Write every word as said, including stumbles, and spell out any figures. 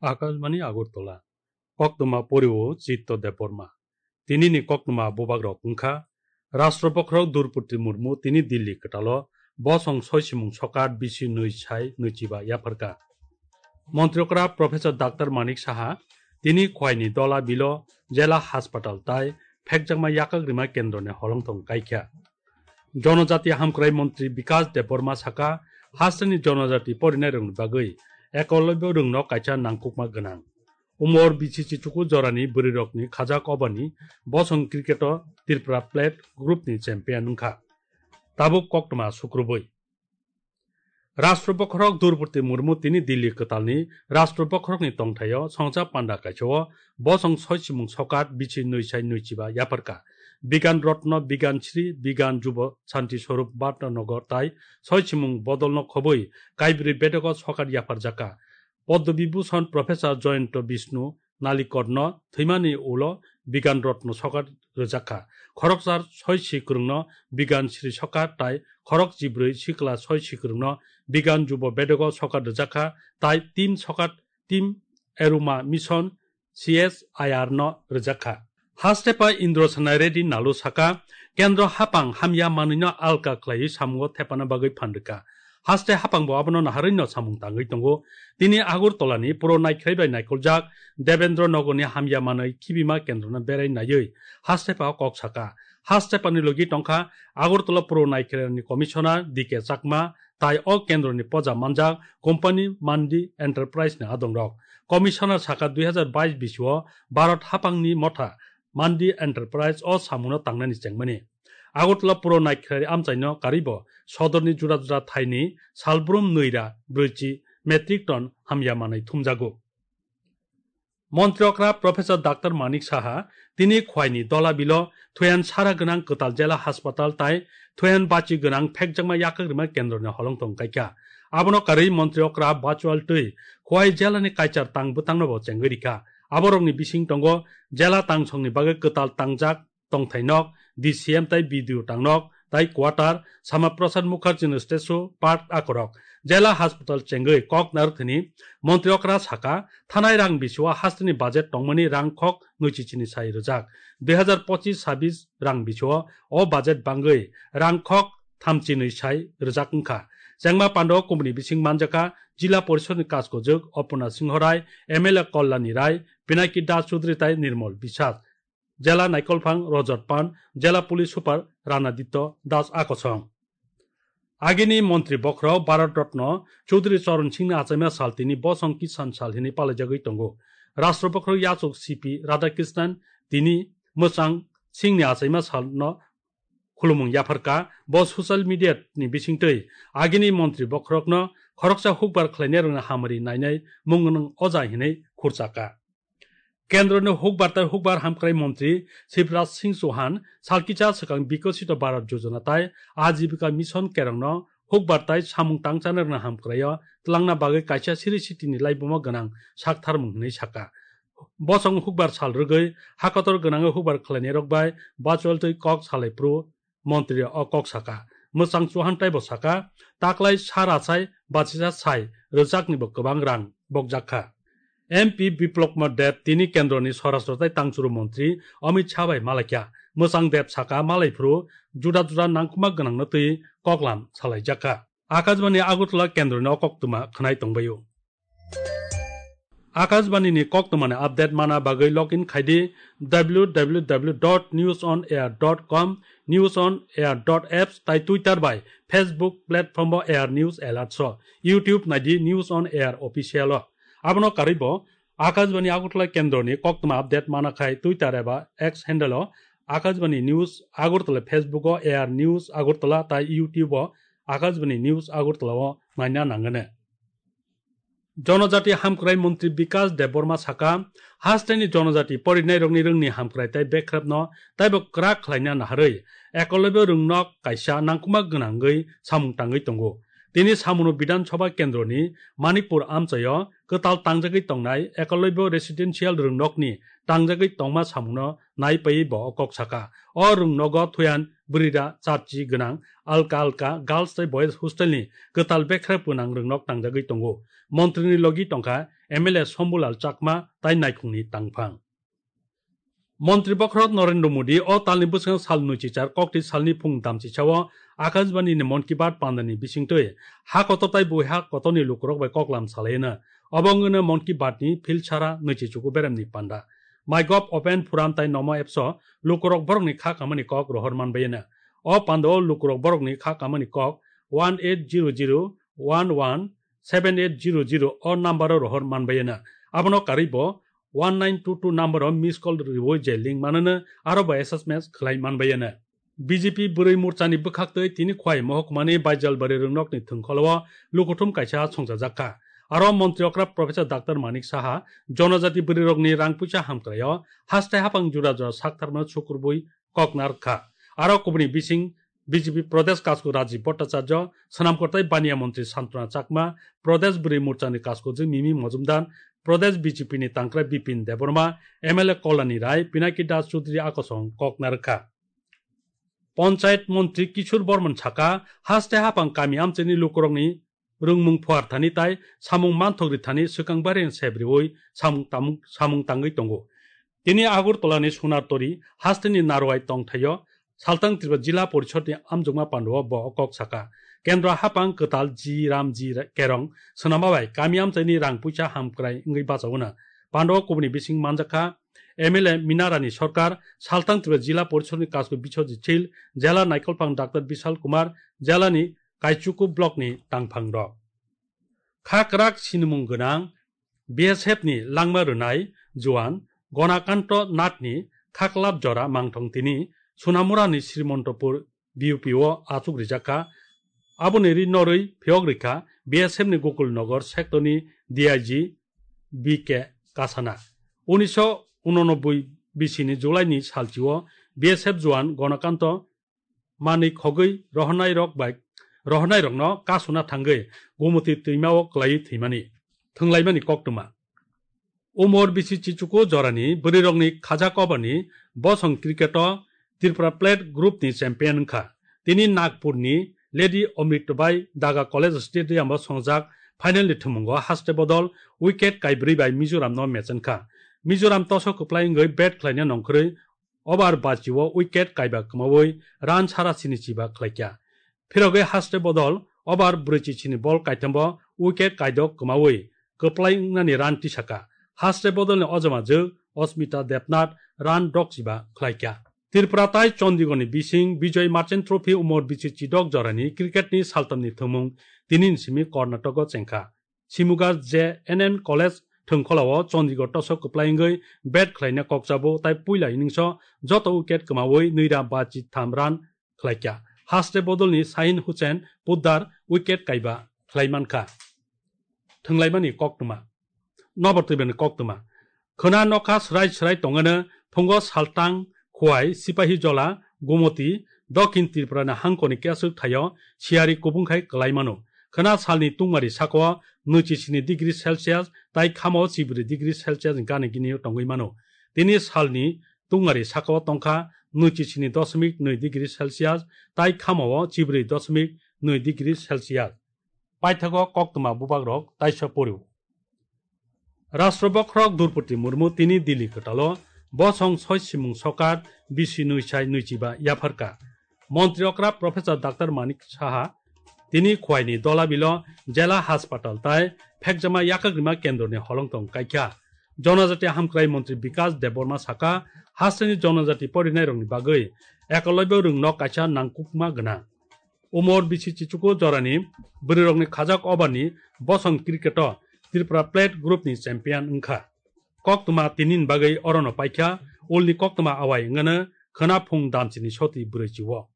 Akashbani Agartala. Koktwma porio Chitto Debbarma. Tinini koktwma bubagrok wngkha: Rashtra Bokhorok Droupadi Murmu tini Delhi kwtalo bosong soisimung sokat bisi nwi sai nwichiba yapharkha. Montri okra Professor Doctor Manik Saha tini Khwaini Dola Bilo Jela Haspatal tai phekjakma yakak rima kendroni holongthong kaikha. Jonojati Hamkrai Montri Bikas Debbarma saka, hasteni jonojati porinairokni bagwi Ekolobyo rwngno kaisa nangkukma gwnang. Umor bisi chichuku jorani bwrwirokni khajak obani bosong cricket-o Tripura Plate group-ni champion wngkha. Tabuk koktwma sukrubwi. Rashtra Bokhorok Droupadi Murmu tini Delhi kwtalni Rashtra Bokhorokni tongthaio songcha panda kaisao bosong soisimung sokat bisi nwi sai nwichiba yapharkha. Bigan Rotno, Bigan Shri, Bigan Jubo Shanti Swarup Bhatnanagar tai soisimung bodolno khobwi kaibrwi bedego sokat yapharjakha. Padma Vibhushan Professor Jayanta Vishnu Nalikarno thwimani ulo Bigan Rotno sokat rwjakha. Khoroksa soi si kwrwngno Bigan Shri sokat tai khorok chibrwi sikla soi si kwrwngno Bigan Jubo Bedego sokat rwjakha tai team sokat team Eruma Mission C S I R no rwjakha. Hastepa Indra Sanai Reddy Nalu saka, Kendro hapang hamya manwino alka khlaiwi samungo thepana bagwi phan rwkha. Haste hapangbo abono naharwino samung tangwi tongo. Tini Agartalani Puro Naikhrai bai naikoljak Devendra Nogorni hamya manwi khibima kendrono berai naiwi hastepa kok saka. Hastepani logi tongkha Agartala Puro Naikhrani Commissioner D K Chakma tai o kendroni poja manjak company Mandi Enterprise ni adongrok. Commissioner saka dui hazar bais bisio Bharat hapangni motha Mandi Enterprise o samuno tangnani chengmani. Agartala Puro Naikhrai amchaino karibo sodorni jura jura thaini salbrum nwira brwichi metric ton hamya manwi thumjago. Montri okra Professor Doctor Manik Saha tini Khwaini Dola Bilo Thoyan Sara Gwnang Kwtal Jela Haspatal tai Thoyan Bachi Gwnang Phekjakma Yakak Rima Kendroni holongthong kaikha. Abono karwi montri okra virtual twi Khwai jelani kaichar tang bwtangno bo chengwi rikha. Aborokni bising tongo jela tangsongni bagwi kwtal tangjak tongthai nok, D C M tai B D O tangnok, tai quarter, Sama Prasad Mukherjee ni statue, park akorok. Jela hospital chengwi kok narwkthani montri okra saka, thanai rang bisio hasteni budget tongmani rang khok nwichi chini sai rwjak. Dui hazar pochis sabis rang bisio o budget bangwi rang khok thamchi nwi sai rwjak wngkha. Chengma pando kubuni bising manjakha Jila Porishodni Kaskojwk Opuna Singho Rai, M L A Kollani Rai, Pinaki Das Chudri tai Nirmol Biswas. Jela naikolphang Rajot Pan, Jela Police Super Ranaditya Das Akosong. Agini Montri Bokhorok Bharat Ratna Chaudhary Charan Singhni achaima sal tini Bosong Kisan Sal hinwi palaijagwi tongo. Rashtra Bokhorok Yachuk C P Radhakrishnan tini mwchang Singhni achaima salno khulumung yapharkha. Bo social media ni bisingtwi agini Montri Bokhorokno khoroksa hukbar khlainairokni hamari nainai mung gwnang oja hinwi khurchakha. Kendroni hukbar tai hukbar hamkrai montri Shivraj Singh Chauhan salkisa swkang Bikasito Bharat Yojana tai Ajibika Mission kerongno hukbar tai samung tangchanai rwna hamkraio twlangna bagwi kaisa siri sitini laibumo gwnang saktharmung hinwi saka. Bosong hukbar sal rwgwi hakotor gwnangwi hukbar khlainairok bai bachol twi kok salai phuru montri o kok saka. Mwchang Chauhan taibo saka, taklai sara sai bachisa sai rwjaknibo kwbang rang bokjakha. M P Biplab Kumar Deb tini kendroni Swarashtra tai tangchuru montri Amit Shah bai malaikha. Mwchang Deb saka malai phuru juda juda nangkukma gwnangno twi koklam salaijakha. Akashbani Agartala kendroni o koktwma khwnai tongbaio. Akashbani ni koktwmani update mana bagwi login khaidi w w w dot news on air dot com, news on air dot apps tai Twitter bai Facebook platform bo Air News Alert so, YouTube naidi News on Air Official o. Abono karwi bo Akashbani Agartala kendroni koktwma update mana khai Twitter eba X handle o Akashbani News Agartala, Facebook o Air News Agartala tai YouTube o Akashbani News Agartala o naina nangani. Jonojati hamkrai montri Bikash Debbarma saka, hasteni jonojati porinairokni rwngni hamkrai tai bekrapno taibo kwrak khlaina naharwi Ekolobyo rwngno kaisa nangkukma gwnangwi samung tangwi tongo. Tini samungno Bidhan Sabha kendroni Manikpur amchaio kwtal tangjagwi tongnai Ekalobya Residential rwngnokni tangjagwi tongma samungno naipai bo o kok saka. O rwngnogo thuyan bwrwira chapchi gwnang alka alka girls tei boys hostelni kwtal bekhra pwnang rwngnok tangjagwi tongo. Montrini logi tongkha M L A Sombulal Chakma tai naikhungni tangphang. Montri bokhorok Narendra Modi o talni bwskango sal nwichichar kokti salni phung damchisao Akashbani ni Mann Ki Baat pandani bisingtwi ha kotor tai bui ha kotorni lukurok bai koklam salaino. Obo wngwino Mann Ki Baat ni phil sara nwichichuku beremni panda. MyGov Open Forum tai Namo Apps o lukurok borokni kha kamani kok rohor manbaino. O pandao lukurok borokni kha kamani kok one eight zero zero one one seven eight zero zero o number o rohor manbaino. Abono karwi bo one nine two two number o miss call rwi je link manano aro bo S M S khlai manbaino. B J P bwrwi morchani bwkhaktwi tini Khwai mohokmani Baijalbari rwngnokni thwngkholo lukuthum kaisa songchajak kha. Aro montri okra Professor Doctor Manik Saha jonojati bwrwirokni rang puisa hamkraio haste hapang jura jura saktharno sukurbui koknar kha. Aro kubuni bising B J P Pradesh Kasku Rajiv Bhattacharya, Swnamkor tai Baniya Montri Santona Chakma, Pradesh Bwrwi Morchani Kaskujwk Mimi Mojumdar, Pradesh B J P ni tangkrai Bipin Debbarma, M L A Kolani Rai, Pinaki Das Chudri akosong kok narwkha. Panchayat Montri Kishore Borman saka, haste hapang kami amchaini lukurokni rwngmung phuar thani tai samung manthok ri thani swkang bareng sep riwi samung tamung, samung tangwi tongo. Tini Agartala ni Sunartori hasteni Narwai tongthaio Saltang Tripura Jila Porishod ni amjokma pandao bo kok saka. Kendra hapang kwtal G Ram G Kerong swnama bai kami amchaini rang puisa hamkrai wngwi bachaono. Pandao kubuni bising manjakha M L A Minarani Sorkar, Saltang Tripura Jila Porishod ni Kasku Biswajit Sil, Jela Naikolphang Doctor Bishal Kumar, Jela ni Kaichuku block ni tangphang rok. Khakrak sinimung gwnang B S F ni langma rwnai juan Gonakanto Nath ni khaklap jora mangthong tini Sunamura ni Srimontopur B U P o achuk rijak kha. Aboni ri norwi phiyok rikha B S F ni Gokul Nagar sector ni D I G B K Kasana. Unisho unonoboi bisi ni July ni salchi o B S F juan Gonakanto manwi khogwi rohornairok bai rohornairokno kasuna thangwi Gumoti twimao kwlaiwi thwimani, thwnglaimani koktwma. Umor bisi chichuku jorani bwrwirokni khajak obani bosong cricket-o Tripura Plate group ni champion wngkha. Tini Nagpurni Lady Amritabai Daga College Stadium-o songjak final ni thumungo haste bodol wicket kaibrwi bai Mizoramno match wngkha. Mizoram toso kwplai wngwi bat khlaina nongkhorwi over bachi o wicket kaiba kwmawi run sara sini chiba khlaikha. Phirogwi haste bodol over brwichi sini ball kaithambo wicket kaidok kwmawi kwplai wngnani run tisaka. Haste bodolni ojama jwk Osmita Debnath run dok chiba khlaikha. Tripura tai Chandigarhni bising Bijoy Merchant Trophy umor bisi chidok jorani cricketni saltamni thwngmung tinini simi Karnatako chengkha. Simuga J N N College thwngkholao Chandigarh toso kwplai wngwi bat khlaina kokchabo tai puila innings-o joto wicket kwmawi nwira bachi tham run khlaikha. Haste bodolni Sahin Hussain Poddar wicket kaiba khlaimankha. Thwnglaimani koktwma. Nobar twibani koktwma. Khwna nokha swrai swrai tongwino phungo Saltang, Khwai, Sipahijola, Gumoti, Dokhin Tripurani hangkoni keswk thaio siyari kubungkhai kwlaimano. Khwna salni tungmari sakao nwichi sini degree Celsius tai khamo chibri degree Celsius ni gana gini tongwi mano. Tini salni tungmari sakao tongkha nwichi sini dosmik nwi degree Celsius tai khamao chibri dosmik nwi degree Celsius. Paithago koktwma bubagrok taisa poriw. Rashtra bokhorok Droupadi Murmu tini Delhi kwtalo bosong soi simung sokar bisi nwi sai nwichiba yapharka. Montri okra Professor Doctor Manik Saha tini Khwaini Dolabilo Jela Haspatal tai Phekjama Yakagrima Kendroni holongtong kaikha. Jonojati Hamkrai Montri Bikas Debbarma saka, hasteni jonojati porinairokni bagwi Ekalobya rwngno kaisa nangkukma gwnang. Umor bisi chichuku jorani bwrwirokni khajak obani bosong cricket-o Tripura Plate group ni champion wngkha. Koktwma tinini bagwi orono paikha, ulni koktwma awai wngano khwna phung damchini soti bwrwichi-o.